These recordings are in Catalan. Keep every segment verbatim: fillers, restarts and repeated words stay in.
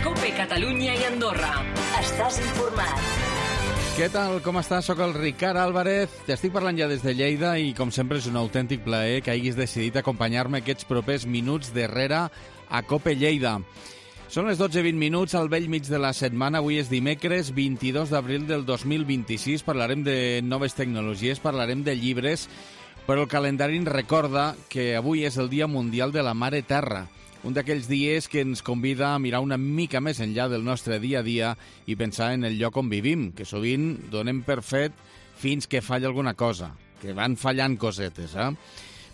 COPE Catalunya i Andorra. Estàs informat. Què tal? Com estàs? Soc el Ricard Álvarez. T'estic parlant ja des de Lleida i, com sempre, és un autèntic plaer que hagis decidit acompanyar-me aquests propers minuts darrere a COPE Lleida. Són les dotze i vint minuts al vell mig de la setmana. Avui és dimecres, vint-i-dos d'abril del dos mil vint-i-sis. Parlarem de noves tecnologies, parlarem de llibres, però el calendari ens recorda que avui és el Dia Mundial de la Mare Terra. Un d'aquells dies que ens convida a mirar una mica més enllà del nostre dia a dia i pensar en el lloc on vivim, que sovint donem per fet fins que falla alguna cosa, que van fallant cosetes, eh?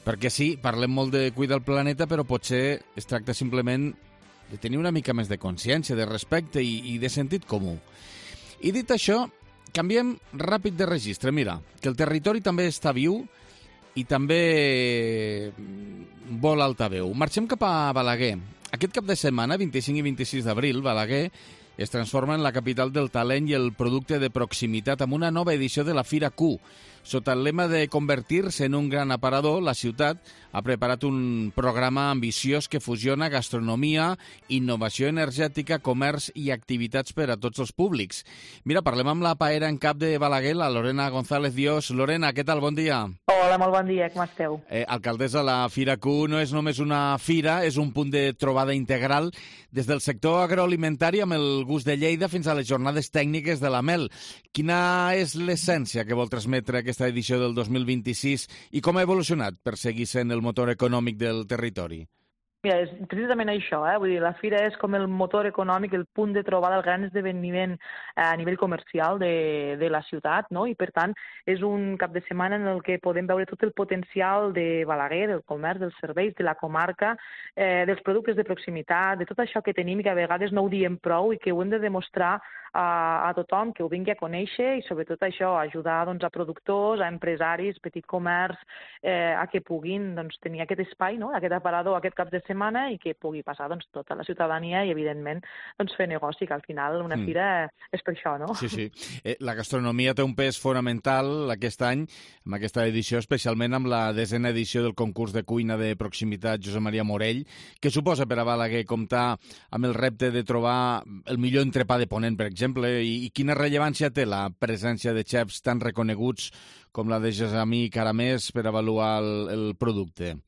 Perquè sí, parlem molt de cuidar el planeta, però potser es tracta simplement de tenir una mica més de consciència, de respecte i, i de sentit comú. I dit això, canviem ràpid de registre. Mira, que el territori també està viu i també vol altaveu. Marxem cap a Balaguer. Aquest cap de setmana, vint-i-cinc i vint-i-sis d'abril, Balaguer es transforma en la capital del talent i el producte de proximitat amb una nova edició de la Fira Q. Sota el lema de convertir-se en un gran aparador, la ciutat ha preparat un programa ambiciós que fusiona gastronomia, innovació energètica, comerç i activitats per a tots els públics. Mira, parlem amb la paera en cap de Balaguer, la Lorena González Dios. Lorena, què tal? Bon dia. Hola, molt bon dia, com esteu? Eh, alcaldessa, la Fira Q no és només una fira, és un punt de trobada integral des del sector agroalimentari amb el gust de Lleida fins a les jornades tècniques de la mel. Quina és l'essència que vol transmetre aquesta edició del dos mil vint-i-sis i com ha evolucionat per seguir sent el motor econòmic del territori? Mira, és precisament això, eh? Vull dir, la fira és com el motor econòmic, el punt de trobada, el gran esdeveniment a nivell comercial de, de la ciutat, no? I per tant és un cap de setmana en el que podem veure tot el potencial de Balaguer, del comerç, dels serveis, de la comarca, eh, dels productes de proximitat, de tot això que tenim i que a vegades no ho diem prou i que ho hem de demostrar a, a tothom que ho vingui a conèixer i sobretot això, ajudar doncs, a productors, a empresaris, petit comerç, eh, a que puguin doncs, tenir aquest espai, no? Aquest aparador aquest cap de setmana i que pugui passar doncs, tota la ciutadania i, evidentment, doncs, fer negoci, que al final una fira mm. és per això, no? Sí, sí. Eh, la gastronomia té un pes fonamental aquest any, amb aquesta edició, especialment amb la desena edició del concurs de cuina de proximitat Josep Maria Morell, que suposa per a Balaguer comptar amb el repte de trobar el millor entrepà de Ponent, per exemple, i, i quina rellevància té la presència de xefs tan reconeguts com la de Gessamí Caramés per avaluar el, el producte?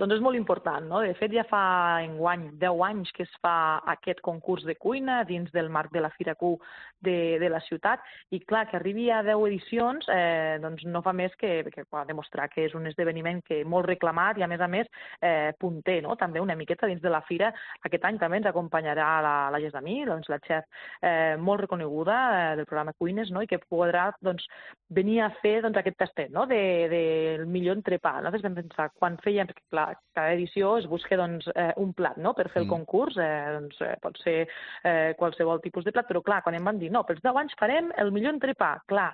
Doncs és molt important, no? De fet, ja fa enguany deu anys que es fa aquest concurs de cuina dins del marc de la Fira Q de, de la ciutat i, clar, que arribi a deu edicions eh, doncs no fa més que, que demostrar que és un esdeveniment que molt reclamat i, a més a més, eh, punter, no? També una miqueta dins de la fira. Aquest any també ens acompanyarà la, la Gessamí, doncs, la xef eh, molt reconeguda eh, del programa Cuines, no? I que podrà doncs, venir a fer doncs, aquest tastet, no? de, de, del millor entrepà. Nosaltres vam pensar, quan fèiem clar, cada edició es busca doncs, eh, un plat, no?, per fer el concurs, eh, doncs, eh, pot ser eh, qualsevol tipus de plat, però clar, quan em van dir, no, pels deu anys farem el millor entrepà, clar,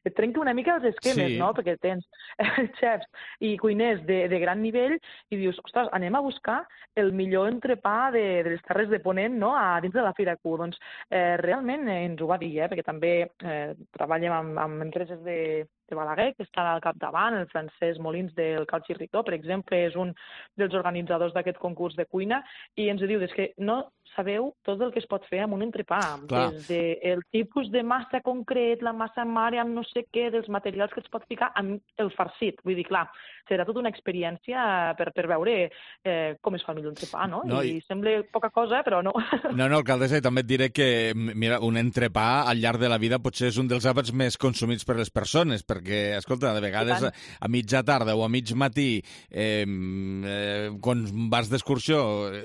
et trenca una mica els esquemes, sí. No?, perquè tens eh, xefs i cuiners de, de gran nivell i dius, ostres, anem a buscar el millor entrepà de, de les Terres de Ponent, no?, a dins de la Fira Q. Doncs eh, realment eh, ens ho va dir, eh, perquè també eh, treballem amb, amb empreses de de Balaguer, que està al capdavant, el Francesc Molins del Cal Xirritó, per exemple, és un dels organitzadors d'aquest concurs de cuina, i ens diu, és que no sabeu tot el que es pot fer amb un entrepà, Clar. Des del tipus de massa concret, la massa mare amb no sé què, dels materials que es pot ficar amb el farcit. Vull dir, clar, serà tota una experiència per, per veure eh, com es fa el millor entrepà, no? no I, I sembla poca cosa, però no. No, no, alcaldessa, i també et diré que, mira, un entrepà al llarg de la vida potser és un dels àpats més consumits per les persones, perquè, escolta, de vegades a, a mitja tarda o a mig matí, eh, eh, quan vas d'excursió,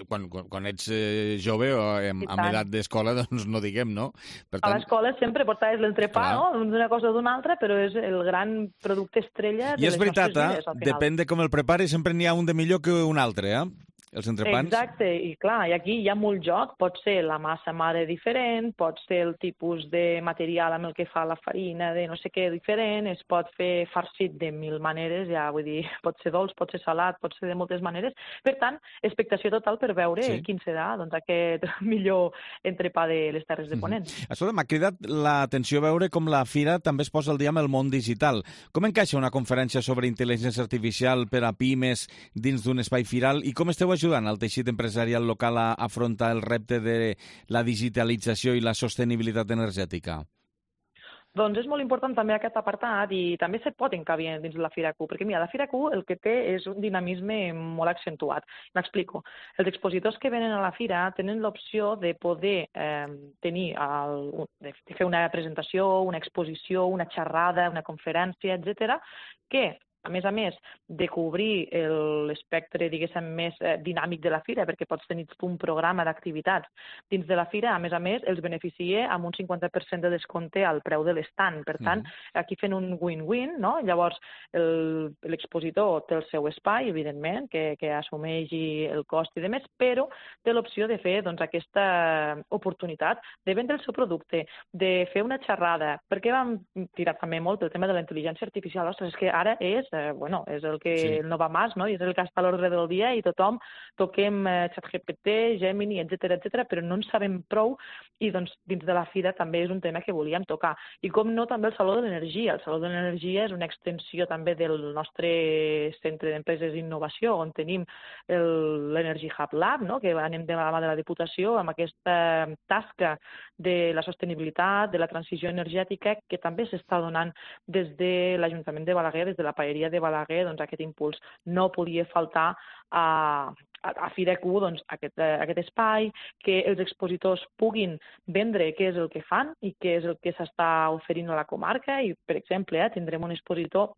quan, quan, quan ets eh, jove o amb, amb edat d'escola, doncs no diguem, no? Per tant... A l'escola sempre portaves l'entrepà, no? D'una cosa o d'una altra, però és el gran producte estrella de I és les veritat, nostres vides, al final. Depèn de com el prepari, sempre n'hi ha un de millor que un altre, eh? Els entrepans. Exacte, i clar, i aquí hi ha molt joc, pot ser la massa mare diferent, pot ser el tipus de material amb el que fa la farina de no sé què diferent, es pot fer farcit de mil maneres, ja vull dir, pot ser dolç, pot ser salat, pot ser de moltes maneres. Per tant, expectació total per veure sí. quin serà doncs, aquest millor entrepà de les Terres de Ponent. Mm-hmm. Escolta, m'ha cridat l'atenció veure com la fira també es posa al dia amb el món digital. Com encaixa una conferència sobre intel·ligència artificial per a pimes dins d'un espai firal i com esteu ajudant el teixit empresarial local a afrontar el repte de la digitalització i la sostenibilitat energètica? Doncs és molt important també aquest apartat i també se pot encabir dins de la Fira Q, perquè mira, la Fira Q el que té és un dinamisme molt accentuat. M'explico. Els expositors que venen a la Fira tenen l'opció de poder eh, tenir el, de fer una presentació, una exposició, una xerrada, una conferència, etcètera, que a més a més de cobrir l'espectre, diguéssim, més eh, dinàmic de la fira, perquè pots tenir un programa d'activitats dins de la fira, a més a més, els beneficia amb un cinquanta per cent de descompte al preu de l'estand. Per tant, mm-hmm. aquí fent un win-win, no? Llavors, l'expositor té el seu espai, evidentment, que, que assumeixi el cost i demés, però té l'opció de fer doncs, aquesta oportunitat de vendre el seu producte, de fer una xerrada, perquè vam tirar també molt el tema de la intel·ligència artificial. Ostres, és que ara és Eh, bueno, és el que sí. no va més, no? I és el que està a l'ordre del dia i tothom toquem eh, ChatGPT, Gemini, etcètera, etcètera, però no en sabem prou i doncs dins de la fira també és un tema que volíem tocar. I com no, també el Saló de l'Energia. El Saló de l'Energia és una extensió també del nostre centre d'empreses d'innovació, on tenim l'Energy Hub Lab, no? Que anem de la mà de la Diputació amb aquesta tasca de la sostenibilitat, de la transició energètica, que també s'està donant des de l'Ajuntament de Balaguer, des de la Paeria de Balaguer, doncs aquest impuls no podia faltar a, a, a Fira Q, doncs aquest, aquest espai, que els expositors puguin vendre què és el que fan i què és el que s'està oferint a la comarca i, per exemple, eh, tindrem un expositor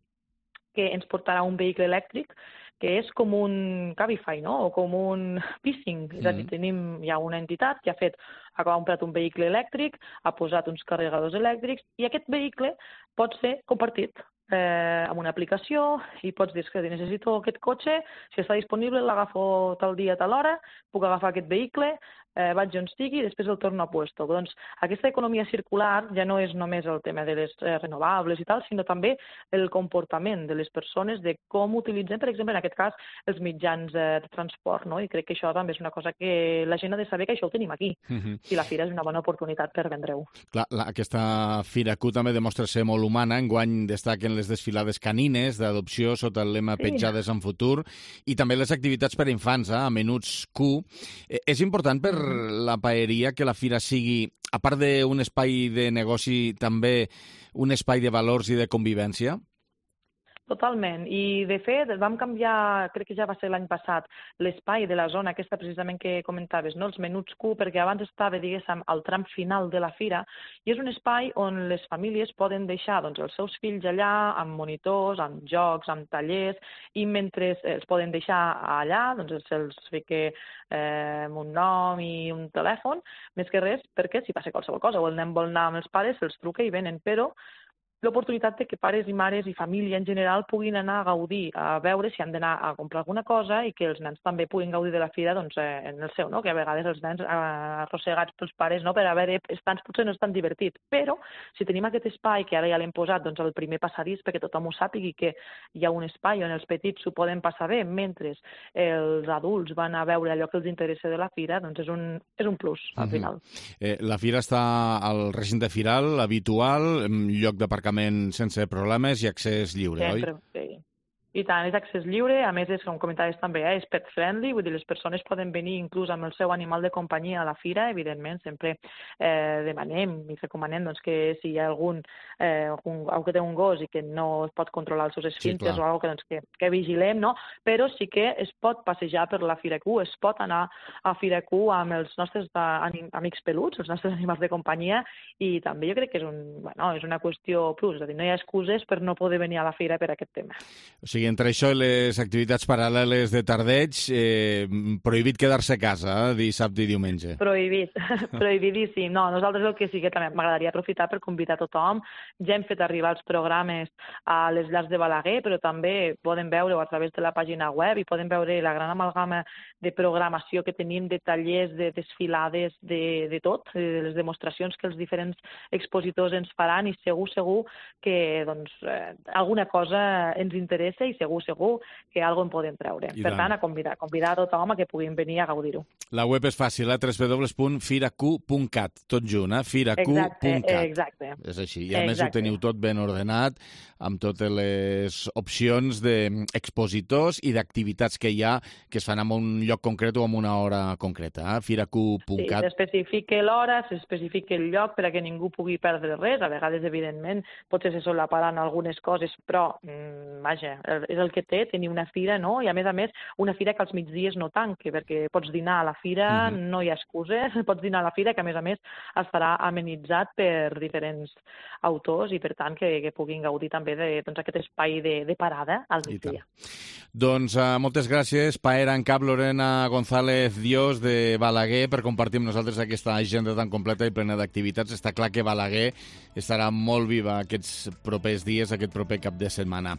que ens portarà un vehicle elèctric que és com un Cabify, no? O com un Pissing. Mm. És a dir, tenim ja una entitat que ha fet, ha comprat un vehicle elèctric, ha posat uns carregadors elèctrics i aquest vehicle pot ser compartit eh, amb una aplicació i pots dir que necessito aquest cotxe, si està disponible l'agafo tal dia, tal hora, puc agafar aquest vehicle, eh, vaig on estigui i després el torno a puesto. Doncs aquesta economia circular ja no és només el tema de les eh, renovables i tal, sinó també el comportament de les persones, de com utilitzen, per exemple, en aquest cas, els mitjans eh, de transport, no? I crec que això també és una cosa que la gent ha de saber que això ho tenim aquí. Uh-huh. I la fira és una bona oportunitat per vendre-ho. Clar, la, aquesta Fira Q també demostra ser molt humana. Enguany destaquen les desfilades canines d'adopció sota el lema sí. Petjades en futur i també les activitats per a infants, eh, a Menuts Q. Eh, és important per la paeria que la fira sigui, a part d'un espai de negoci, també un espai de valors i de convivència? Totalment. I, de fet, vam canviar, crec que ja va ser l'any passat, l'espai de la zona aquesta precisament que comentaves, no? Els Menuts Q, perquè abans estava, diguéssim, al tram final de la fira, i és un espai on les famílies poden deixar doncs, els seus fills allà, amb monitors, amb jocs, amb tallers, i mentre els poden deixar allà, doncs se'ls fica eh, un nom i un telèfon, més que res, perquè si passa qualsevol cosa, o el nen vol anar amb els pares, se'ls truca i venen, però l'oportunitat de que pares i mares i família en general puguin anar a gaudir, a veure si han d'anar a comprar alguna cosa i que els nens també puguin gaudir de la fira doncs, eh, en el seu, no? Que a vegades els nens eh, arrossegats pels pares no? Per haver estants potser no és tan divertit, però si tenim aquest espai que ara ja l'hem posat doncs, al primer passadís perquè tothom ho sàpigui que hi ha un espai on els petits s'ho poden passar bé mentre els adults van a veure allò que els interessa de la fira, doncs és un, és un plus al uh-huh. final. Eh, la fira està al recinte firal habitual, lloc d'aparcament sense problemes i accés lliure, sempre, oi? Sí. I tant, és accés lliure, a més, és, com comentaves també, eh, és pet friendly, vull dir, les persones poden venir inclús amb el seu animal de companyia a la fira, evidentment, sempre eh, demanem i recomanem doncs, que si hi ha algun, eh, algun, algú que té un gos i que no es pot controlar els seus esfínteres sí, o alguna que, doncs, que, que vigilem, no? Però sí que es pot passejar per la Fira Q, es pot anar a Fira Q amb els nostres amics peluts, els nostres animals de companyia, i també jo crec que és, un, bueno, és una qüestió plus, és a dir, no hi ha excuses per no poder venir a la fira per aquest tema. O sigui, entre això i les activitats paral·leles de tardeig, eh, prohibit quedar-se a casa, eh, dissabte i diumenge. Prohibit, prohibidíssim. No, nosaltres el que sí que també m'agradaria aprofitar per convidar tothom. Ja hem fet arribar els programes a les llars de Balaguer, però també poden veure-ho a través de la pàgina web i poden veure la gran amalgama de programació que tenim, de tallers, de desfilades, de, de tot, de les demostracions que els diferents expositors ens faran i segur, segur que doncs, eh, alguna cosa ens interessa i segur, segur que alguna en podem treure. I per tant. tant, a convidar, convidar a tothom a que puguin venir a gaudir-ho. La web és fàcil, eh? w w w punt firacu punt cat, tot junt, eh? firacu punt cat. Exacte, exacte. És així. I a més ho Exacte. teniu tot ben ordenat, amb totes les opcions d'expositors i d'activitats que hi ha que es fan en un lloc concret o en una hora concreta. Eh? firacu punt cat. Sí, s'especifica l'hora, s'especifica el lloc per a que ningú pugui perdre res. A vegades, evidentment, potser se solaparan algunes coses, però, mmm, vaja, és el que té tenir una fira, no? I a més a més, una fira que als migdies no tanqui, perquè pots dinar a la fira, mm-hmm. no hi ha excuses, pots dinar a la fira, que a més a més estarà amenitzat per diferents autors i, per tant, que, que puguin gaudir també de doncs, aquest espai de, de parada al migdia. Doncs uh, moltes gràcies, paera en cap Lorena González Dios de Balaguer, per compartir amb nosaltres aquesta agenda tan completa i plena d'activitats. Està clar que Balaguer estarà molt viva aquests propers dies, aquest proper cap de setmana.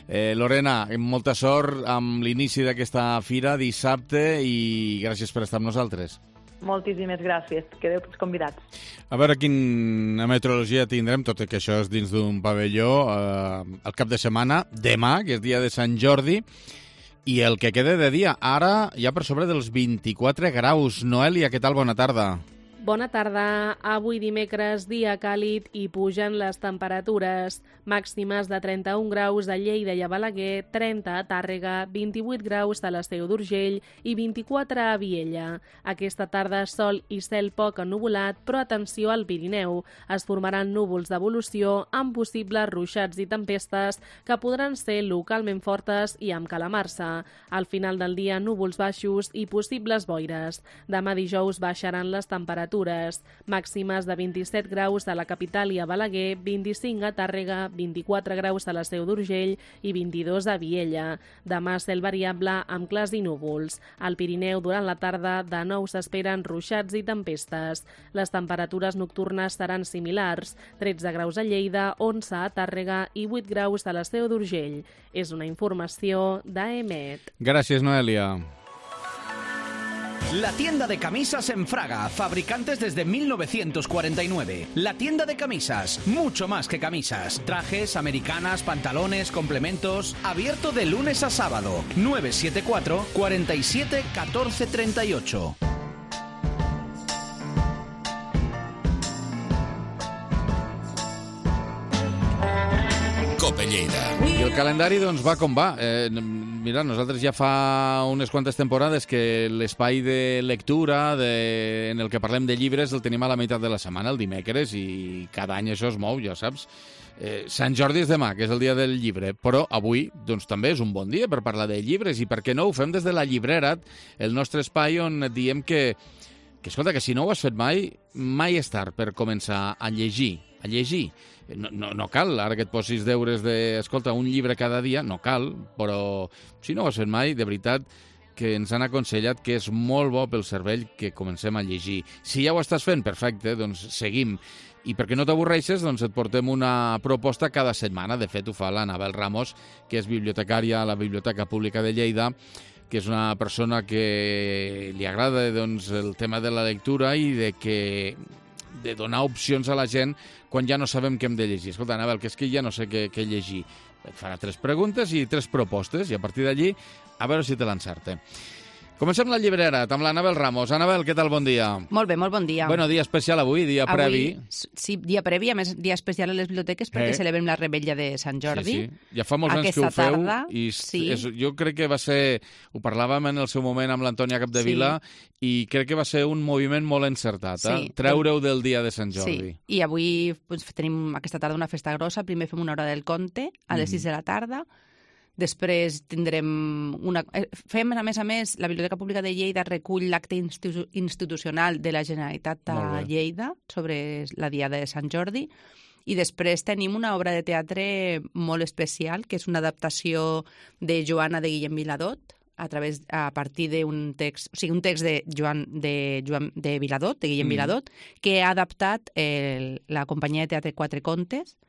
Eh, Lorena, molta sort amb l'inici d'aquesta fira dissabte i gràcies per estar amb nosaltres. Moltíssimes gràcies. Quedeu tots convidats. A veure quina meteorologia tindrem, tot i que això és dins d'un pavelló, eh, el cap de setmana, demà, que és dia de Sant Jordi, i el que queda de dia. Ara ja per sobre dels vint-i-quatre graus. Noelia, què tal? Bona tarda. Bona tarda. Avui dimecres, dia càlid i pugen les temperatures. Màximes de trenta-un graus a Lleida i a Balaguer, trenta a Tàrrega, vint-i-vuit graus a l'Esteu d'Urgell i vint-i-quatre a Viella. Aquesta tarda sol i cel poc ennuvolat, però atenció al Pirineu. Es formaran núvols d'evolució amb possibles ruixats i tempestes que podran ser localment fortes i amb calamarsa. Al final del dia, núvols baixos i possibles boires. Demà dijous baixaran les temperatures. Màximes de vint-i-set graus a la capital i a Balaguer, vint-i-cinc a Tàrrega, vint-i-quatre graus a l'Esteu d'Urgell i vint-i-dos a Viella. Demà cel variable amb clars i núvols. Al Pirineu, durant la tarda, de nou s'esperen ruixats i tempestes. Les temperatures nocturnes seran similars, tretze graus a Lleida, onze a Tàrrega i vuit graus a l'Esteu d'Urgell. És una informació d'A E M E T. Gràcies, Noelia. La tienda de camisas en Fraga, fabricantes desde mil novecientos cuarenta y nueve. La tienda de camisas, mucho más que camisas. Trajes, americanas, pantalones, complementos. Abierto de lunes a sábado. nueve siete cuatro, cuatro siete, uno cuatro tres ocho. Cope Lleida. I el calendari, doncs, va com va. Eh, mira, nosaltres ja fa unes quantes temporades que l'espai de lectura de, en el que parlem de llibres el tenim a la meitat de la setmana, el dimecres, i cada any això es mou, ja saps. Eh, Sant Jordi és demà, que és el dia del llibre, però avui doncs, també és un bon dia per parlar de llibres, i per què no ho fem des de la Llibrera, el nostre espai on et diem que, que, escolta, que si no ho has fet mai, mai és tard per començar a llegir, a llegir. No, no, no cal, ara que et posis deures de, escolta, un llibre cada dia, no cal, però si no ho has fet mai, de veritat que ens han aconsellat que és molt bo pel cervell que comencem a llegir. Si ja ho estàs fent, perfecte, doncs seguim. I perquè no t'avorreixes, doncs et portem una proposta cada setmana. De fet, ho fa l'Anabel Ramos, que és bibliotecària a la Biblioteca Pública de Lleida, que és una persona que li agrada doncs, el tema de la lectura i de que de donar opcions a la gent quan ja no sabem què hem de llegir. Escolta, Anabel, que és que ja no sé què, què llegir. Et farà tres preguntes i tres propostes, i a partir d'allí, a veure si te l'encerte. Comencem la llibrera amb l'Anabel Ramos. Anabel, què tal? Bon dia. Molt bé, molt bon dia. Bueno, dia especial avui, dia avui, previ. Sí, dia previ, a més, dia especial a les biblioteques perquè eh? celebrem la Rebella de Sant Jordi. Sí, sí. Ja fa molts Aquesta anys que ho feu. Tarda, I sí. és, jo crec que va ser... Ho parlàvem en el seu moment amb l'Antònia Capdevila, sí. i crec que va ser un moviment molt encertat, eh? Sí. Treure-ho del dia de Sant Jordi. Sí, i avui doncs, tenim aquesta tarda una festa grossa. Primer fem una hora del conte, a les mm. sis de la tarda. Després tindrem una... Fem, a més a més, la Biblioteca Pública de Lleida recull l'acte institu institucional de la Generalitat a Lleida sobre la Diada de Sant Jordi. I després tenim una obra de teatre molt especial, que és una adaptació de Joana de Guillem Viladot, a través a partir d'un text, o sigui, un text de Joan de, Joan, de Viladot, de Guillem mm. Viladot, que ha adaptat el, la companyia de teatre Quatre Contes,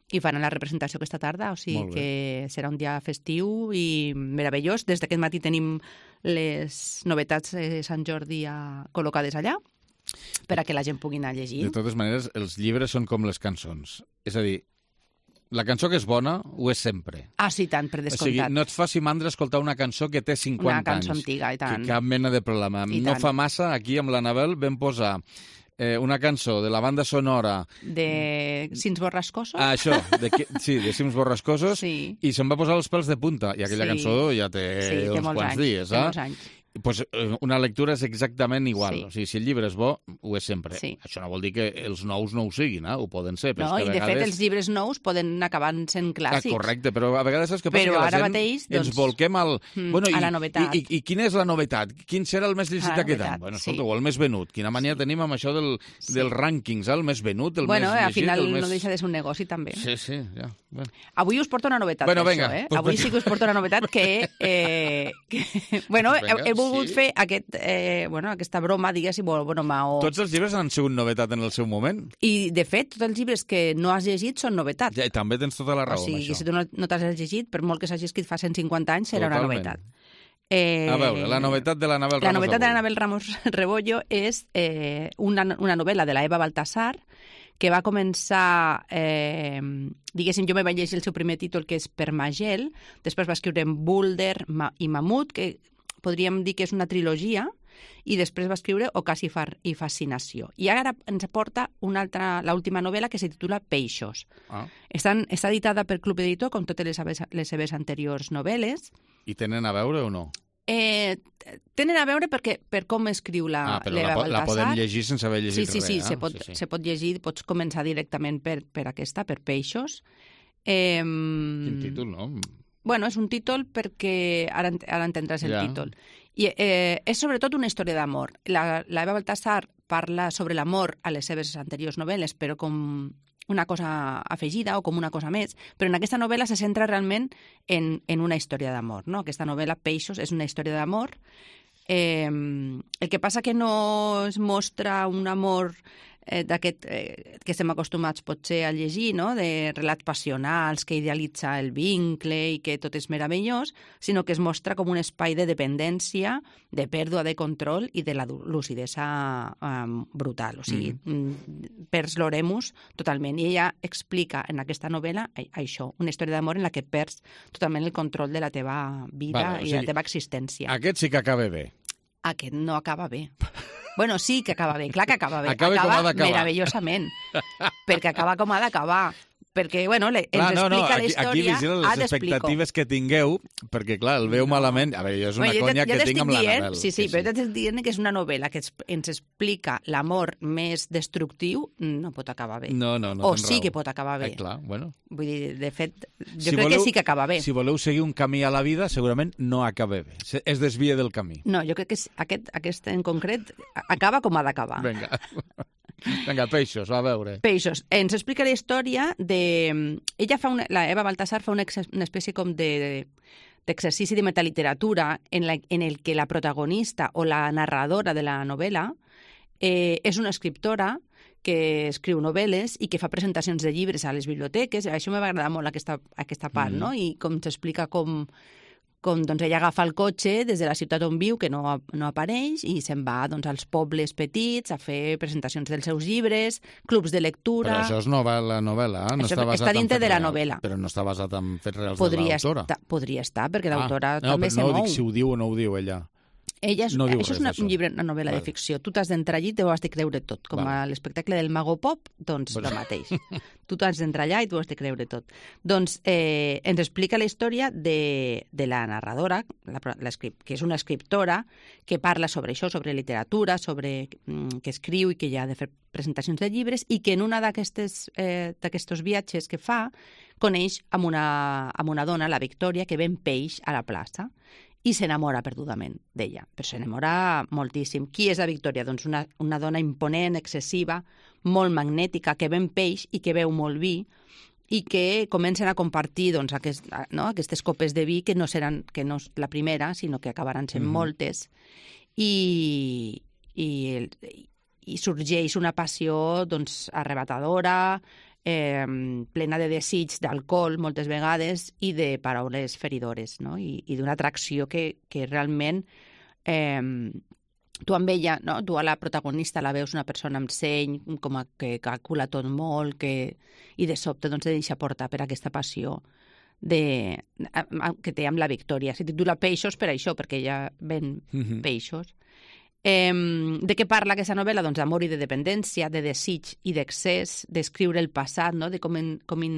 i faran la representació aquesta tarda, o sigui que serà un dia festiu i meravellós. Des d'aquest matí tenim les novetats de Sant Jordi a, col·locades allà per a que la gent pugui anar a llegir. De totes maneres, els llibres són com les cançons. És a dir, La cançó que és bona ho és sempre. Ah, sí, tant, per O sigui, descomptat. no et faci mandra escoltar una cançó que té cinquanta Una cançó anys. antiga, i tant. Que cap mena de problema. I No tant. fa massa, aquí amb l'Anabel vam posar eh, una cançó de la banda sonora... De Cims Borrascosos? Ah, això, de, que- sí, de Cims Borrascosos, Sí. i se'm va posar els pèls de punta. I aquella Sí. cançó ja té, Sí, té uns molts quants anys, dies. té Eh? molts anys. Pues, eh, una lectura és exactament igual. Sí. O sigui, si el llibre és bo, ho és sempre. Sí. Això no vol dir que els nous no ho siguin, eh? Ho poden ser. Però No, és que i a de vegades... fet els llibres nous poden acabar sent Ah, clàssics. correcte, però a vegades saps què passa? Però que la ara gent mateix, ens doncs, volquem al... mm, bueno, i, a la novetat. I, i, I quina és la novetat? Quin serà el més llegit A la aquest novetat, any? Bueno, sí. escolta, o el més venut. Quina mania sí. tenim amb això del, Sí. dels rànquings, eh? El més venut, el Bueno, més al llegit, final el més... no deixa de ser un negoci, també. Sí, sí, ja. Bueno. Avui us porto una novetat, Bueno, per venga, això, eh? pues Avui perquè- sí que us porto una novetat que... Eh, que bueno, Venga, he, he volgut sí. fer aquest, eh, bueno, aquesta broma, diguéssim, o broma, o... Tots els llibres han sigut novetat en el seu moment. I, de fet, tots els llibres que no has llegit són novetat. Ja, i també tens tota la raó o sigui, amb això. si tu no, no t'has llegit, per molt que s'hagi escrit fa cent cinquanta anys, serà una Totalment. novetat. Eh, A veure, la novetat de l'Anabel Ramos La novetat de avui. l'Anabel Ramos Rebollo és eh, una, una novel·la de la Eva Baltasar que va començar, eh, diguéssim, jo me vaig llegir el seu primer títol, que és Permagel, després va escriure en Boulder Ma i Mamut, que podríem dir que és una trilogia, i després va escriure Ocasifar i Fascinació. I ara ens aporta una altra, l'última novel·la, que se titula Peixos. Ah. Estan, està editada per Club Editor, com totes les seves, les seves anteriors novel·les. I tenen a veure o no? Eh, tenen a veure perquè, per com escriu la Ah, però l'Eva la, po- la Baltasar. podem llegir sense haver llegit Sí, sí, sí, res, eh? se pot, sí, sí. se pot llegir, pots començar directament per, per aquesta, per Peixos. Eh, Quin títol, no? Bueno, és un títol perquè ara, ent- ara entendràs el Ja. títol. I eh, és sobretot una història d'amor. La, la Eva Baltasar parla sobre l'amor a les seves anteriors novel·les, però com una cosa afegida o com una cosa més, però en aquesta novel·la se centra realment en, en una història d'amor. No? Aquesta novel·la, Peixos, és una història d'amor. Eh, el que passa que no es mostra un amor eh, d'aquest eh, que estem acostumats potser a llegir, no? De relats passionals, que idealitza el vincle i que tot és meravellós, sinó que es mostra com un espai de dependència, de pèrdua de control i de la du- lucidesa um, brutal. O sigui, mm. perds l'oremus totalment. I ella explica en aquesta novel·la a- això, una història d'amor en la que perds totalment el control de la teva vida Vale, o i sigui, la teva existència. Aquest sí que acaba bé. Aquest no acaba bé. Bueno, sí que acaba bé, clar que acaba bé. Acaba com ha d'acabar. meravellosament, perquè acaba com ha d'acabar. Perquè, bueno, le, Clar, ens no, no, explica la aquí, aquí història... vigila Ah, les t'explico. expectatives que tingueu, perquè, clar, el veu No. malament. A veure, és una Bueno, jo conya ja que t'estic tinc amb dient, l'Anabel. Sí, sí, però ja t'estic dient que és una novel·la que es- ens explica l'amor més destructiu, no pot acabar bé. No, no, no o tens sí raó. que pot acabar bé. Eh, clar, bueno. Vull dir, de fet, jo Si crec voleu- que sí que acaba bé. Si voleu seguir un camí a la vida, segurament no acaba bé. Se- Es desvia del camí. No, jo crec que és- aquest, aquest en concret acaba com ha d'acabar. Vinga. Vinga, peixos, va a veure. Peixos. Ens explica la història de... Ella fa una... La Eva Baltasar fa una, ex- una espècie com de d'exercici de metaliteratura en, la, en el que la protagonista o la narradora de la novel·la eh, és una escriptora que escriu novel·les i que fa presentacions de llibres a les biblioteques. Això m'ha agradat molt, aquesta, aquesta part, Mm. no? I com s'explica com, com doncs, ella agafa el cotxe des de la ciutat on viu, que no, no apareix, i se'n va doncs, als pobles petits a fer presentacions dels seus llibres, clubs de lectura... Però això és novel·la, novel·la, eh? No Això està basat està en dintre fets de la reals. novel·la. Però no està basat en fets reals podria, de l'autora. estar, podria estar, perquè l'autora ah, no, també però se no mou. dic si ho diu o no ho diu ella. Ella és, no diu això res és una, d'això. un llibre, una novel·la Vale. de ficció. Tu t'has d'entrar allí i t'ho has de creure tot. Com Vale. a l'espectacle del Mago Pop, doncs Bueno. el mateix. Tu t'has d'entrar allà i t'ho has de creure tot. Doncs eh, ens explica la història de, de la narradora, la, la, que és una escriptora, que parla sobre això, sobre literatura, sobre mm, que escriu i que ja ha de fer presentacions de llibres, i que en una d'aquestes eh, d'aquests viatges que fa coneix amb una, amb una dona, la Victòria, que ven peix a la plaça i s'enamora perdudament d'ella, però s'enamora moltíssim. Qui és la Victòria? Doncs una, una dona imponent, excessiva, molt magnètica, que ven peix i que beu molt vi, i que comencen a compartir doncs, aquest, no? aquestes copes de vi que no seran que no és la primera, sinó que acabaran sent Mhm. moltes, i, i, i sorgeix una passió doncs, arrebatadora, eh, plena de desig d'alcohol moltes vegades i de paraules feridores, no? I, i d'una atracció que, que realment eh, tu amb ella, no? Tu a la protagonista la veus una persona amb seny, com a que calcula tot molt, que... i de sobte doncs, se deixa portar per aquesta passió de... que té amb la Victòria. Se titula Peixos per això, perquè ella ven mm-hmm. peixos. Eh, de què parla aquesta novel·la? Doncs d'amor i de dependència, de desig i d'excés, d'escriure el passat, no? De com, in, com in...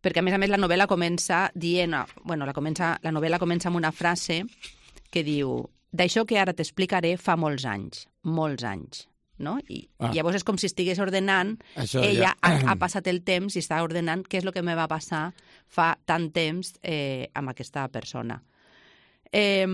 perquè a més a més la novel·la comença dient, bueno, la, comença, la novel·la comença amb una frase que diu: d'això que ara t'explicaré fa molts anys, molts anys, no? I ah. llavors és com si estigués ordenant, això ella ja... ha, ha passat el temps i està ordenant què és el que me va passar fa tant temps eh, amb aquesta persona. Eh,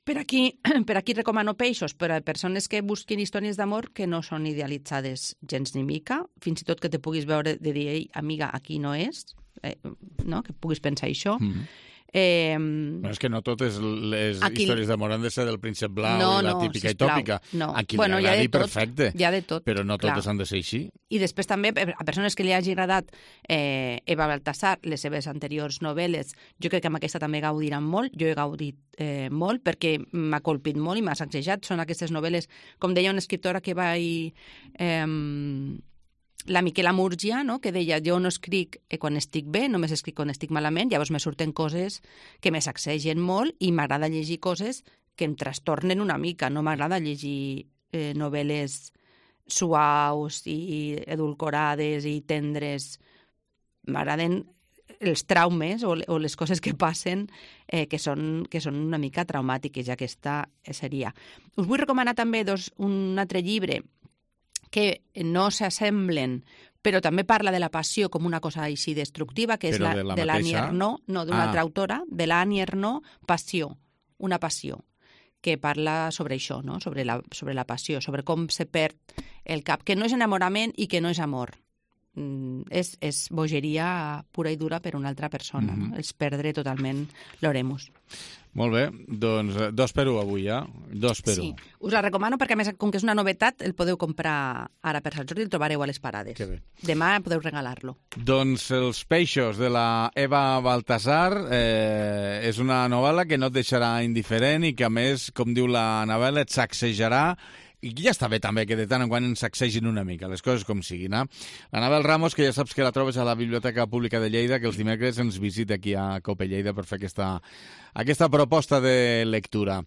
Per aquí, per aquí recomano Peixos per a persones que busquin històries d'amor que no són idealitzades gens ni mica, fins i tot que te puguis veure de dir, ei, amiga, aquí no és, eh, no? Que puguis pensar això. Mm-hmm. Eh, no, és que no totes les aquí... històries d'amor han de ser del príncep blau no, i la no, típica sisplau, i tòpica. No. A qui bueno, li agradi, perfecte. Hi ha de tot. Però no totes clar. han de ser així. I després també, a persones que li hagi agradat eh, Eva Baltasar, les seves anteriors novel·les, jo crec que amb aquesta també gaudiran molt. Jo he gaudit eh, molt perquè m'ha colpit molt i m'ha sacsejat. Són aquestes novel·les, com deia una escriptora que vaig... Eh, la Miquela Múrgia, no? Que deia, jo no escric quan estic bé, només escric quan estic malament, llavors me surten coses que me sacsegen molt i m'agrada llegir coses que em trastornen una mica. No m'agrada llegir eh, novel·les suaus i edulcorades i tendres. M'agraden els traumes o, o les coses que passen eh, que, són, que són una mica traumàtiques, i aquesta seria. Us vull recomanar també dos, un altre llibre que no s'assemblen, però també parla de la passió com una cosa així destructiva, que és però la, de la de l'Annie mateixa... Ernaux, no, d'una ah. altra autora, de l'Annie Ernaux, Passió, una passió, que parla sobre això, no? sobre, la, sobre la passió, sobre com se perd el cap, que no és enamorament i que no és amor. Mm, és, és bogeria pura i dura per una altra persona, mm-hmm. no? És perdre totalment l'oremus. Molt bé, doncs dos per u avui, ja? Dos per sí. u. Us la recomano perquè, a més, com que és una novetat, el podeu comprar ara per Sant Jordi, el trobareu a les parades. Que bé. Demà podeu regalar-lo. Doncs Els Peixos, de la Eva Baltasar, eh, és una novel·la que no et deixarà indiferent i que, a més, com diu la novel·la, et sacsejarà. I ja està bé també que de tant en quant ens sacsegin una mica, les coses com siguin. Eh? L'Anabel Ramos, que ja saps que la trobes a la Biblioteca Pública de Lleida, que els dimecres ens visita aquí a Cope Lleida per fer aquesta, aquesta proposta de lectura.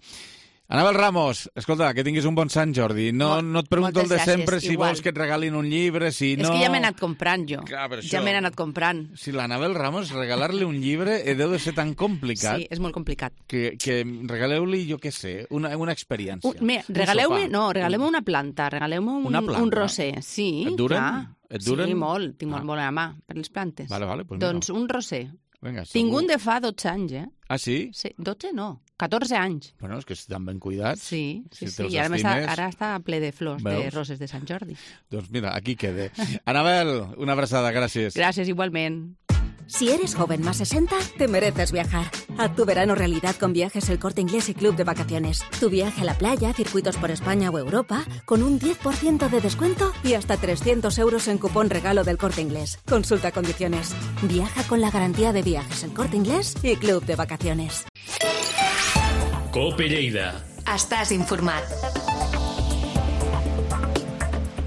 Anabel Ramos, escolta, que tinguis un bon Sant Jordi. No, Mol, no et pregunto el de sempre si igual. Vols que et regalin un llibre, si no... És que ja m'he anat comprant jo. Clar, ja m'he anat comprant. Si l'Anabel Ramos, regalar-li un llibre deu de ser tan complicat. Sí, és molt complicat. Que, que regaleu-li, jo què sé, una, una experiència. Un, mira, regaleu-me, no, regaleu-me una planta, regaleu-me un, un roser. Sí, et duren? Clar. Et duren? Sí, molt, tinc molt ah. molt a la mà per les plantes. Vale, vale, pues doncs mira. Un roser. Vinga, tinc un de fa dotze anys, eh? Ah, sí? Sí, dotze no, catorze anys. Bueno, és que estan ben cuidats. Sí, sí, si sí. I ara, estimes... està, ara està ple de flors, Veus? De roses de Sant Jordi. Doncs mira, aquí quede. Anabel, una abraçada, gràcies. Gràcies, igualment. Si eres joven más sesenta, te mereces viajar. Haz tu verano realidad con Viajes El Corte Inglés y Club de Vacaciones. Tu viaje a la playa, circuitos por España o Europa, con un diez por ciento de descuento y hasta trescientos euros en cupón regalo del Corte Inglés. Consulta condiciones. Viaja con la garantía de Viajes El Corte Inglés y Club de Vacaciones. Cope Lleida. Estàs informat.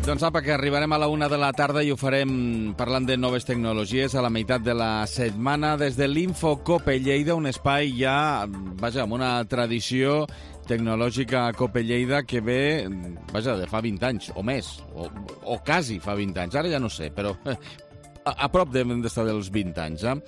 Doncs apa, que arribarem a la una de la tarda i ho farem parlant de noves tecnologies a la meitat de la setmana des de l'Info Cope Lleida, un espai ja, vaja, amb una tradició tecnològica a Cope Lleida que ve, vaja, de fa vint anys, o més, o, o quasi fa vint anys, ara ja no sé, però a, a prop d'estar dels vint anys, eh?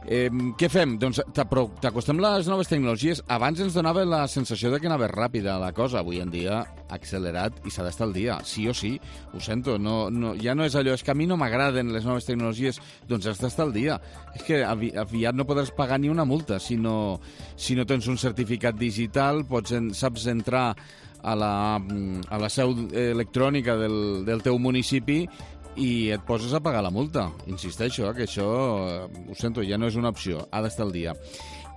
Eh, què fem? Doncs t'acostem les noves tecnologies. Abans ens donava la sensació de que anava ràpida la cosa. Avui en dia ha accelerat i s'ha d'estar al dia. Sí o sí, ho sento. No, no, ja no és allò, és que a mi no m'agraden les noves tecnologies, doncs has d'estar al dia. És que avi, aviat no podràs pagar ni una multa si no, si no tens un certificat digital, pots en, saps entrar a la, a la seu electrònica del, del teu municipi i et poses a pagar la multa. Insisteixo, eh, que això, eh, ho sento, ja no és una opció, ha d'estar al dia.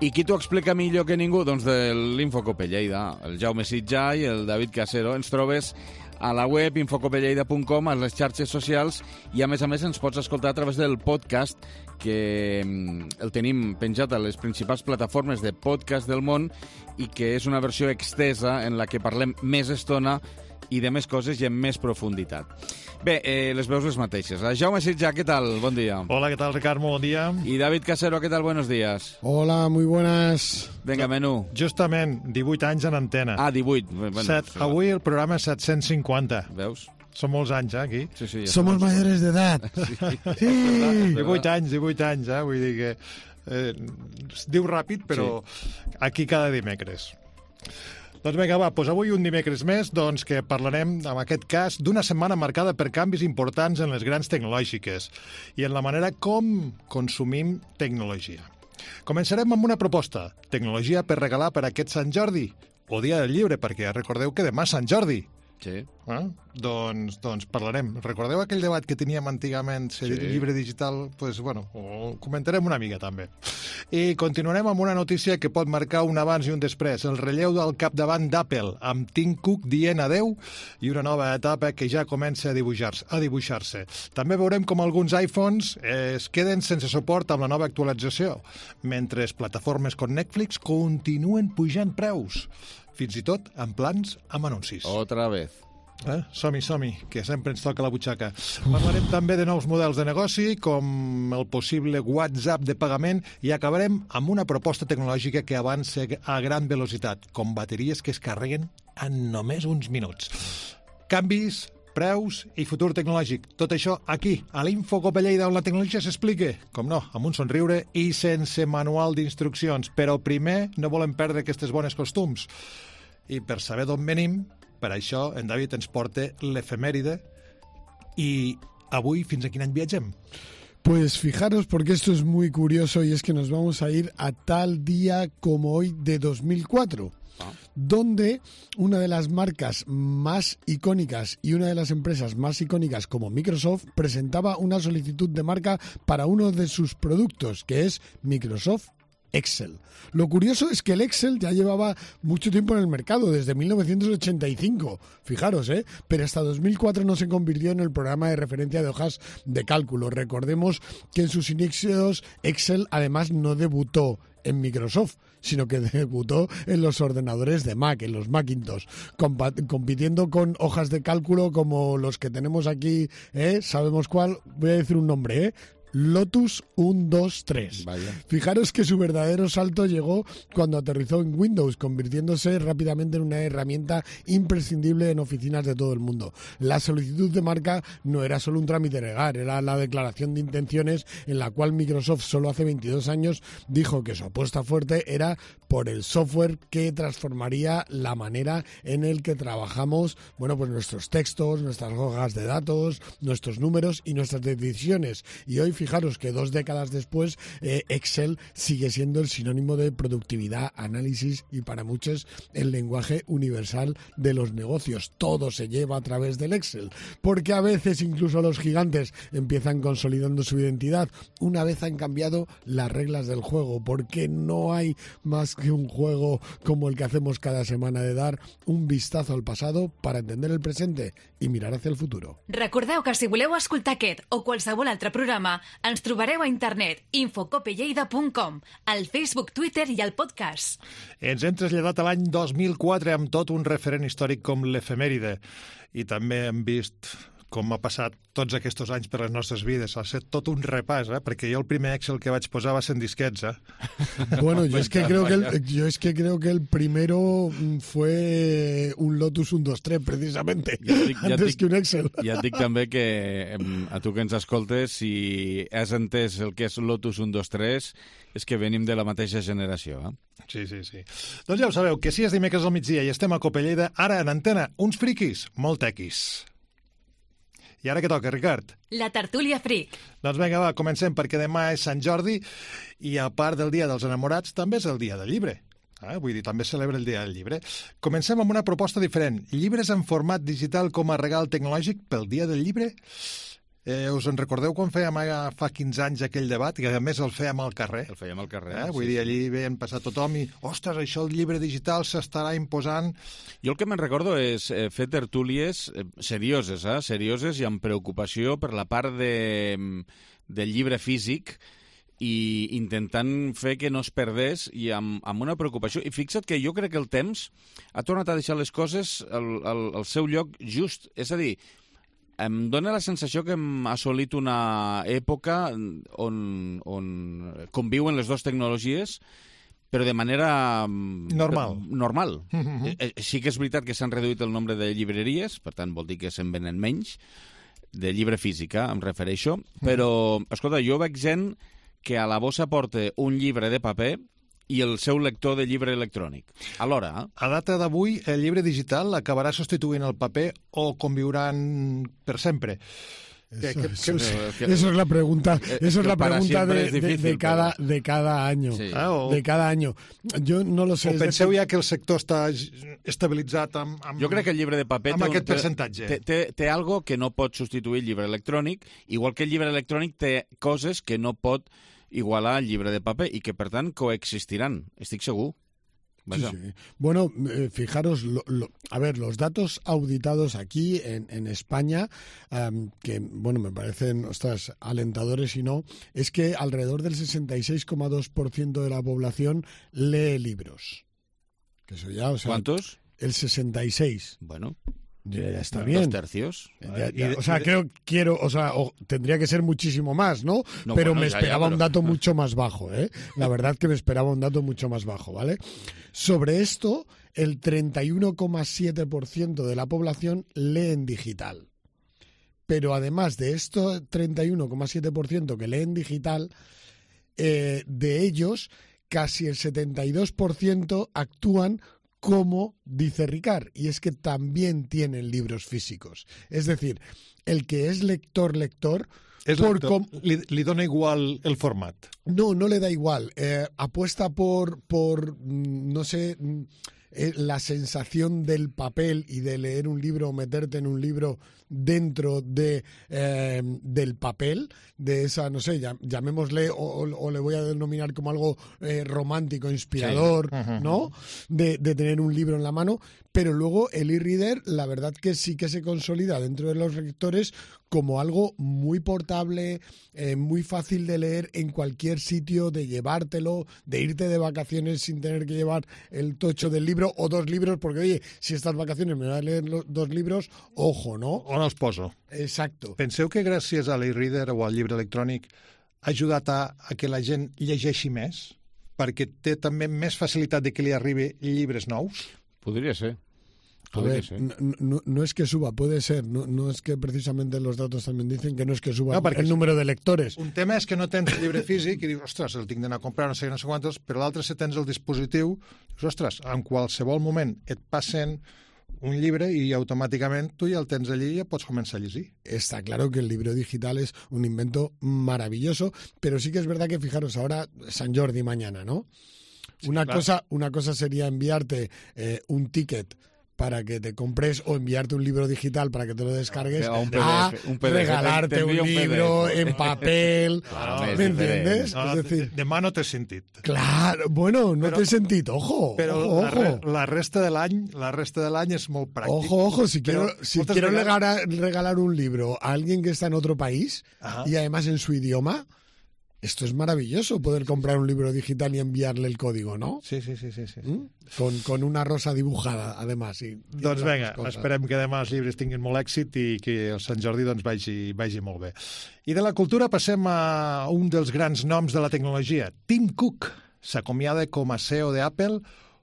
I qui t'ho explica millor que ningú? Doncs de l'Infocope Lleida, el Jaume Sitjà i el David Casero. Ens trobes a la web infocopelleida punt com, a les xarxes socials, i a més a més ens pots escoltar a través del podcast, que el tenim penjat a les principals plataformes de podcast del món i que és una versió extesa en la que parlem més estona i de més coses i amb més profunditat. Bé, eh, les veus les mateixes. Jaume Sitjà, ¿qué tal? Bon dia. Hola, ¿qué tal, Ricardo? Bon dia. Y David Casero, ¿qué tal? Buenos días. Hola, muy buenas. Venga, menú. Justament, divuit anys en antena. Ah, divuit. Bueno, Set, avui el programa set-cents cinquanta. Veus? Són molts anys, eh, aquí. Sí, sí, ja Somos mayores de edad. Sí. Sí. divuit anys, divuit anys, eh? Vull dir que eh, es diu ràpid, però sí. Aquí cada dimecres. Doncs vinga, va, doncs avui un dimecres més doncs, que parlarem, en aquest cas, d'una setmana marcada per canvis importants en les grans tecnològiques i en la manera com consumim tecnologia. Començarem amb una proposta, tecnologia per regalar per aquest Sant Jordi, o Dia del Llibre, perquè recordeu que demà és Sant Jordi. Sí. Eh? Doncs, doncs parlarem. Recordeu aquell debat que teníem antigament, si sí. Llibre digital? Pues, bueno, ho comentarem una mica també. I continuarem amb una notícia que pot marcar un abans i un després. El relleu del capdavant d'Apple, amb Tim Cook dient adeu i una nova etapa que ja comença a dibuixar-se. A dibuixar-se. També veurem com alguns iPhones es queden sense suport amb la nova actualització, mentre plataformes com Netflix continuen pujant preus, fins i tot en plans amb anuncis. Otra vez. Eh? Som-hi, som-hi, que sempre ens toca la butxaca. Parlarem també de nous models de negoci, com el possible WhatsApp de pagament, i acabarem amb una proposta tecnològica que avança a gran velocitat, com bateries que es carreguen en només uns minuts. Canvis, preus i futur tecnològic. Tot això aquí, a l'Infocopelleida, on la tecnologia s'explica, com no, amb un somriure i sense manual d'instruccions. Però primer no volem perdre aquestes bones costums. I per saber d'on venim, per això en David ens porta l'efemèride. I avui fins a quin any viatgem? Pues fijaros, porque esto es muy curioso, y es que nos vamos a ir a tal día como hoy de dos mil cuatro. Ah. Donde una de las marcas más icónicas y una de las empresas más icónicas como Microsoft presentaba una solicitud de marca para uno de sus productos, que es Microsoft Excel. Lo curioso es que el Excel ya llevaba mucho tiempo en el mercado, desde mil novecientos ochenta y cinco, fijaros, ¿eh? Pero hasta dos mil cuatro no se convirtió en el programa de referencia de hojas de cálculo. Recordemos que en sus inicios Excel además no debutó en Microsoft, sino que debutó en los ordenadores de Mac, en los Macintosh, comp- compitiendo con hojas de cálculo como los que tenemos aquí, ¿eh? ¿Sabemos cuál? Voy a decir un nombre, ¿eh? Lotus uno, dos, tres. Vaya. Fijaros que su verdadero salto llegó cuando aterrizó en Windows, convirtiéndose rápidamente en una herramienta imprescindible en oficinas de todo el mundo. La solicitud de marca no era solo un trámite legal, era la declaración de intenciones en la cual Microsoft solo hace veintidós años dijo que su apuesta fuerte era por el software que transformaría la manera en el que trabajamos, bueno, pues nuestros textos, nuestras hojas de datos, nuestros números y nuestras decisiones. Y hoy, fijaros que dos décadas después, eh, Excel sigue siendo el sinónimo de productividad, análisis y para muchos el lenguaje universal de los negocios. Todo se lleva a través del Excel, porque a veces incluso los gigantes empiezan consolidando su identidad una vez han cambiado las reglas del juego, porque no hay más que un juego como el que hacemos cada semana de dar un vistazo al pasado para entender el presente i mirar hacia el futuro. Recordeu que si voleu escoltar aquest o qualsevol altre programa, ens trobareu a internet infocopelleida punt com, al Facebook, Twitter i al podcast. Ens hem traslladat a l'any dos mil quatre amb tot un referent històric com l'efemèride i també hem vist com ha passat tots aquests anys per les nostres vides. Ha estat tot un repàs, eh? Perquè jo el primer Excel que vaig posar va ser en disquets, eh? Bueno, yo es que creo que el, yo es que creo que el primero fue un Lotus uno, dos, tres, precisamente, ja dic, ja antes dic, que un Excel. Ja et dic també que a tu que ens escoltes, si has entès el que és Lotus uno, dos, tres, és que venim de la mateixa generació, eh? Sí, sí, sí. Doncs ja ho sabeu, que si és dimecres al migdia i estem a Copelleida, ara en antena, uns friquis molt tequis. I ara què toca, Ricard? La tertúlia fric. Doncs vinga, va, comencem, perquè demà és Sant Jordi i a part del Dia dels Enamorats també és el Dia del Llibre. Eh? Vull dir, també celebra el Dia del Llibre. Comencem amb una proposta diferent. Llibres en format digital com a regal tecnològic pel Dia del Llibre? Eh, us en recordeu quan fèiem eh, fa quinze anys aquell debat, que a més el fèiem al carrer? El fèiem al carrer. Eh? Sí, Vull dir, sí. allí veien passar tothom i, ostres, això el llibre digital s'estarà imposant. Jo el que me'n recordo és eh, fer tertúlies eh, serioses, eh? serioses i amb preocupació per la part de, del llibre físic i intentant fer que no es perdés i amb, amb una preocupació. I fixa't que jo crec que el temps ha tornat a deixar les coses al, al, al seu lloc just. És a dir, em dóna la sensació que hem assolit una època on, on conviuen les dues tecnologies, però de manera... Normal. Normal. Mm-hmm. Eh, sí que és veritat que s'han reduït el nombre de llibreries, per tant vol dir que se'n venen menys, de llibre físic, em refereixo, però, escolta, jo veig gent que a la bossa porta un llibre de paper i el seu lector de llibre electrònic. Alhora, eh? A data d'avui, el llibre digital acabarà substituint el paper o conviuran per sempre? Eso, Que- que- eso es, que- que- eso es la pregunta, eh, eso es que la para pregunta siempre de, es de- difícil, de cada, pero- de cada año. Sí. Ah, o, De cada año. Yo no lo sé. o es penseu decir, ja que el sector està estabilitzat amb... amb Jo crec que el llibre de paper amb té, aquest un, té, percentatge. té, té, té algo que no pot substituir el llibre electrònic, igual que el llibre electrònic té coses que no pot igualar al llibre de paper i que, per tant, coexistiran. Estic segur. Sí, Vaja. sí. Bueno, eh, fijaros, lo, lo- a ver, los datos auditados aquí en, en España, em, que, bueno, me parecen, ostras, alentadores y no, es que alrededor del sesenta y seis coma dos por ciento de la población lee libros. Que eso ya, o sea, ¿Cuántos? El sesenta y seis. Bueno, Ya, ya está dos bien. tercios. Ya- ya, Y de- o sea, y de- creo, quiero, o sea, o- tendría que ser muchísimo más, ¿no? No, pero bueno, me ya, ya, esperaba pero- un dato mucho más bajo, ¿eh? La verdad que me esperaba un dato mucho más bajo, ¿vale? Sobre esto, el treinta y uno coma siete por ciento de la población lee en digital. Pero además de esto treinta y uno coma siete por ciento que lee en digital, eh, de ellos, casi el setenta y dos por ciento actúan como dice Ricard, y es que también tienen libros físicos. Es decir, el que es lector-lector, És por lector, com- li, li dona igual el format. no, no le da igual. Eh, apuesta por, por, mm, no sé, mm, eh, la sensación del papel y de leer un libro o meterte en un libro dentro de eh, del papel, de esa, no sé, llam- llamémosle, o, o- o le voy a denominar como algo eh, romántico, inspirador, Sí. Ujú. ¿no? De, de tener un libro en la mano, pero luego el e-reader, la verdad que sí que se consolida dentro de los lectores como algo muy portable, eh, muy fácil de leer en cualquier sitio, de llevártelo, de irte de vacaciones sin tener que llevar el tocho del libro o dos libros, porque oye, si estas vacaciones me voy a leer los dos libros, ojo, ¿no? On els poso? Exacto. Penseu que gràcies a l'e-reader o al llibre electrònic ha ajudat a, a que la gent llegeixi més? Perquè té també més facilitat de que li arribi llibres nous? Podria ser. A Podria ver, ser. no, no- no es que suba, puede ser, no, no es que precisamente los datos también dicen que no es que suba No, perquè el número de lectores. Un tema és que no tens el llibre físic i dius, ostres, el tinc d'anar a comprar, no sé, no sé quantos, però l'altre, si tens el dispositiu, dius, ostres, en qualsevol moment et passen un llibre i automàticament tu ja el tens allí i ja pots començar a llegir. Está claro que el libro digital es un invento maravilloso, pero sí que es verdad que, fijaros, ahora San Jordi mañana, ¿no? Una, claro. cosa, una cosa sería enviarte eh, un ticket para que te compres o enviarte un libro digital para que te lo descargues, No, un P D a F, un P D F, regalarte te un envío un P D F. libro en papel, Claro, ¿me és diferent. entiendes? No, es decir, demà no t'he sentit. claro, bueno, no Però- te he sentido, ojo, Però ojo, la, re, ojo. la resta de l'any la resta de l'any és molt pràctic. Ojo, ojo, si Però quiero, si moltes quiero vegades- regalar, regalar un libro a alguien que está en otro país Ajá. y además en su idioma, esto es maravilloso, poder comprar un libro digital y enviarle el código, ¿no? Sí, sí, sí, sí, sí. ¿Mm? Con, con una rosa dibujada, además. Y, y Doncs otras vinga, cosas. esperem que demà els llibres tinguin molt èxit i que el Sant Jordi doncs, vagi, vagi molt bé. I de la cultura passem a un dels grans noms de la tecnologia. Tim Cook s'acomiada com a C E O d'Apple,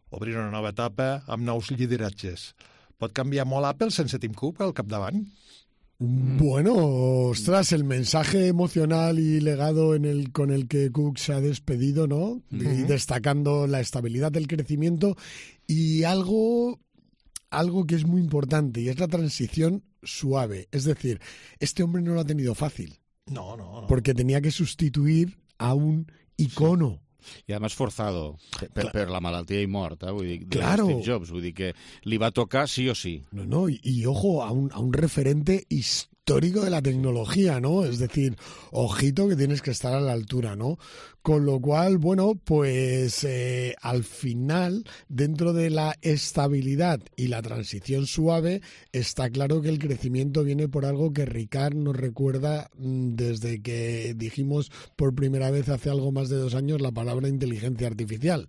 obrint una nova etapa amb nous lideratges. Pot canviar molt Apple sense Tim Cook al capdavant? Bueno, ostras, el mensaje emocional y legado en el, con el que Cook se ha despedido, ¿no? Y destacando la estabilidad del crecimiento y algo, algo que es muy importante, y es la transición suave. Es decir, este hombre no lo ha tenido fácil, No, no, no. porque tenía que sustituir a un icono. I además forzado per, per la malaltia i mort, eh? Vull dir, de Claro. Steve Jobs, vull dir que li va tocar sí o sí. No, no, y, y ojo, a un, a un referente his- histórico de la tecnología, ¿no? Es decir, ojito que tienes que estar a la altura, ¿no? Con lo cual, bueno, pues eh, al final, dentro de la estabilidad y la transición suave, está claro que el crecimiento viene por algo que Ricard nos recuerda desde que dijimos por primera vez hace algo más de dos años la palabra inteligencia artificial.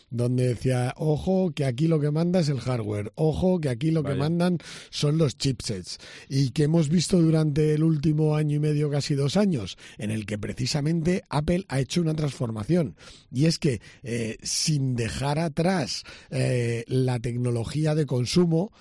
Donde decía, ojo, que aquí lo que manda es el hardware, ojo, que aquí lo Vaya. que mandan son los chipsets, y que hemos visto durante el último año y medio, casi dos años, en el que precisamente Apple ha hecho una transformación, y es que eh, sin dejar atrás eh, la tecnología de consumo,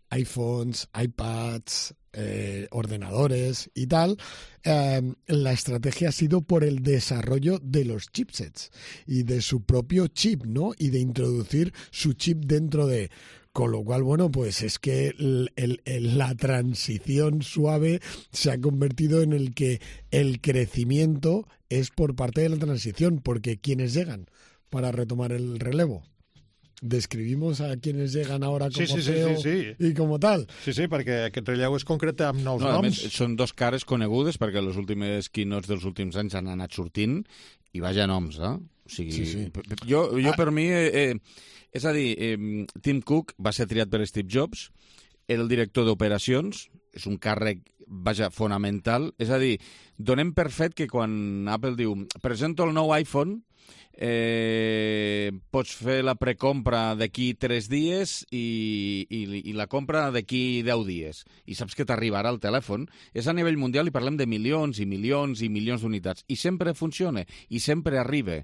iPhones, iPads, eh, ordenadores y tal, eh, la estrategia ha sido por el desarrollo de los chipsets y de su propio chip, ¿no? Y de introducir su chip dentro de... Con lo cual, bueno, pues es que el, el, el, la transición suave se ha convertido en el que el crecimiento es por parte de la transición, porque ¿quiénes llegan para retomar el relevo? Descrivimos a quienes llegan ahora com sí, sí, C E O sí, sí, sí. i com tal. Sí, sí, perquè aquest relleu es concreta amb nous no, noms. Més, són dos cares conegudes perquè les últimes keynotes dels últims anys han anat sortint i vaja noms, eh? O sigui, sí, sí. Jo, jo ah. per mi, eh, eh, és a dir, eh, Tim Cook va ser triat per Steve Jobs, era el director d'operacions, és un càrrec, vaja, fonamental. És a dir, donem per fet que quan Apple diu presento el nou iPhone, eh, pots fer la precompra d'aquí tres dies i, i, i la compra d'aquí deu dies. I saps que t'arribarà el telèfon. És a nivell mundial i parlem de milions i milions i milions d'unitats. I sempre funciona, i sempre arriba.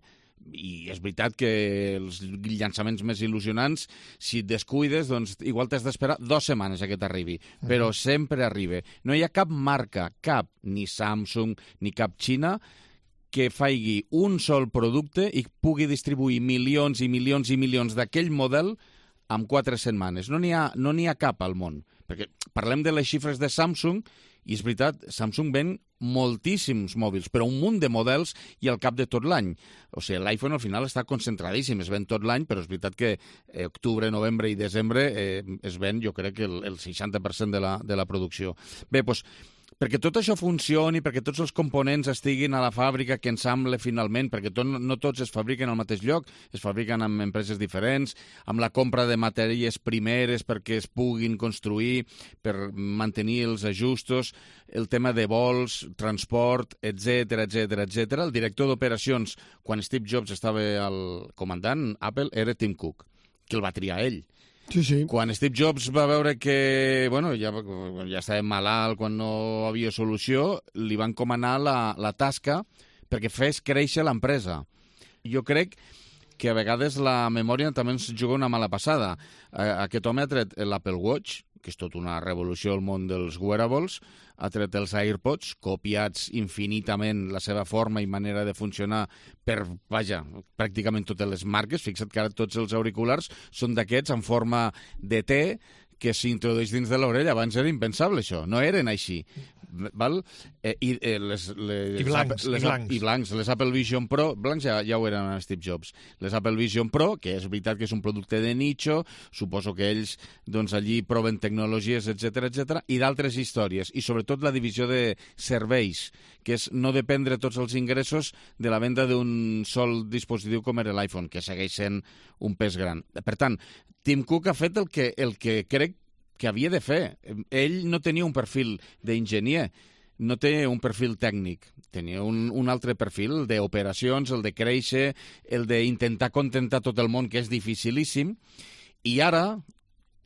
I és veritat que els llançaments més il·lusionants, si et descuides, doncs igual t'has d'esperar dues setmanes a que t'arribi, però sempre arriba. No hi ha cap marca, cap, ni Samsung, ni cap Xina, que faci un sol producte i pugui distribuir milions i milions i milions d'aquell model en quatre setmanes. No n'hi ha, no n'hi ha cap al món. Perquè parlem de les xifres de Samsung i és veritat, Samsung ven moltíssims mòbils, però un munt de models i al cap de tot l'any. O sigui, l'iPhone al final està concentradíssim, es ven tot l'any, però és veritat que eh, octubre, novembre i desembre eh, es ven, jo crec que el, el seixanta per cent de la, de la producció. Bé, doncs, perquè tot això funcioni, perquè tots els components estiguin a la fàbrica que ensamble finalment, perquè tot, no tots es fabriquen al mateix lloc, es fabriquen en empreses diferents, amb la compra de matèries primeres perquè es puguin construir, per mantenir els ajustos, el tema de vols, transport, etcètera, etcètera, etcètera. El director d'operacions, quan Steve Jobs estava al comandant Apple, era Tim Cook, que el va triar ell. Sí, sí. Quan Steve Jobs va veure que bueno, ja, ja estava malalt, quan no havia solució, li van encomanar la, la tasca perquè fes créixer l'empresa. Jo crec que a vegades la memòria també ens juga una mala passada. Aquest home ha tret l'Apple Watch, que és tot una revolució al món dels wearables, ha tret els AirPods, copiats infinitament la seva forma i manera de funcionar per, vaja, pràcticament totes les marques. Fixa't que ara tots els auriculars són d'aquests en forma de T que s'introdueix dins de l'orella. Abans era impensable, això. No eren així. Val? Eh, i, eh, les, les, I blancs, les, i blancs. I blancs. Les Apple Vision Pro, blancs ja, ja ho eren a Steve Jobs. Les Apple Vision Pro, que és veritat que és un producte de nicho, suposo que ells doncs, allí proven tecnologies, etcètera, etcètera, i d'altres històries. I sobretot la divisió de serveis, que és no dependre tots els ingressos de la venda d'un sol dispositiu com era l'iPhone, que segueix sent un pes gran. Per tant, Tim Cook ha fet el que, el que crec que havia de fer. Ell no tenia un perfil d'enginyer, no té un perfil tècnic, tenia un, un altre perfil, el d'operacions, el de créixer, el d'intentar contentar tot el món, que és dificilíssim, i ara,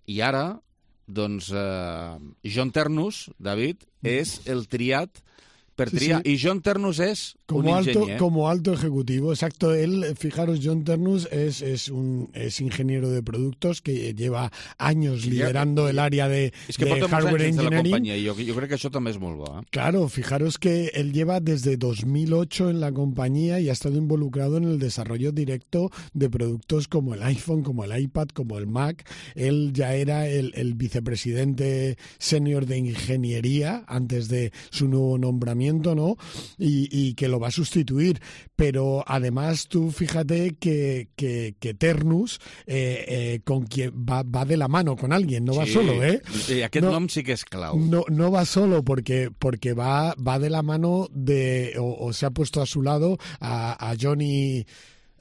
i ara, doncs, eh, John Ternus, David, és el triat per triar. Sí, sí. Y John Ternus es como un alto, ingeniero. Como alto ejecutivo, exacto. Él, fijaros, John Ternus es, es un es ingeniero de productos que lleva años liderando el área de, es que de hardware engineering. De la engineering. Y yo, yo creo que eso también es muy bueno. ¿eh? Claro, fijaros que él lleva desde dos mil ocho en la compañía y ha estado involucrado en el desarrollo directo de productos como el iPhone, como el iPad, como el Mac. Él ya era el, el vicepresidente senior de ingeniería antes de su nuevo nombramiento. lanzamiento, ¿no? Y, y que lo va a sustituir. Pero además tú fíjate que, que, que Ternus eh, eh, con quien va, va de la mano con alguien, no va sí. solo, ¿eh? I aquest no, nom sí que és clau. No, no va solo porque, porque va, va de la mano de, o, o se ha puesto a su lado a, a Johnny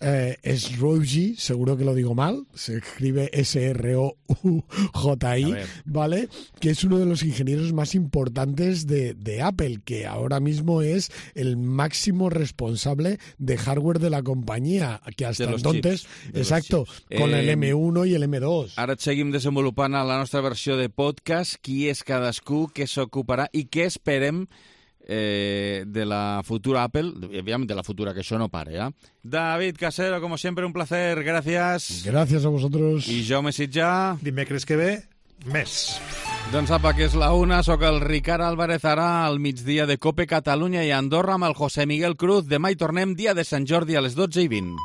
eh, Srouji, seguro que lo digo mal, se escribe S R O U J I, ¿vale? Que es uno de los ingenieros más importantes de, de Apple, que ahora mismo es el máximo responsable de hardware de la compañía, que hasta entonces, chips, exacto, con eh, el M uno i el M dos. Ara et seguim desenvolupant a la nostra versió de podcast, qui és cadascú, què s'ocuparà i què esperem Eh, de la futura Apple, obviamente de la futura, que això no pare, ¿eh? David Casero, como siempre, un placer, gracias. Gracias a vosotros. I Jaume Sitjà. Dimecres que ve, més. Doncs apa, que és la una, sóc el Ricard Álvarez, ara al migdia de COPE Catalunya i Andorra amb el José Miguel Cruz. Demà hi tornem, dia de Sant Jordi, a les dotze i vint.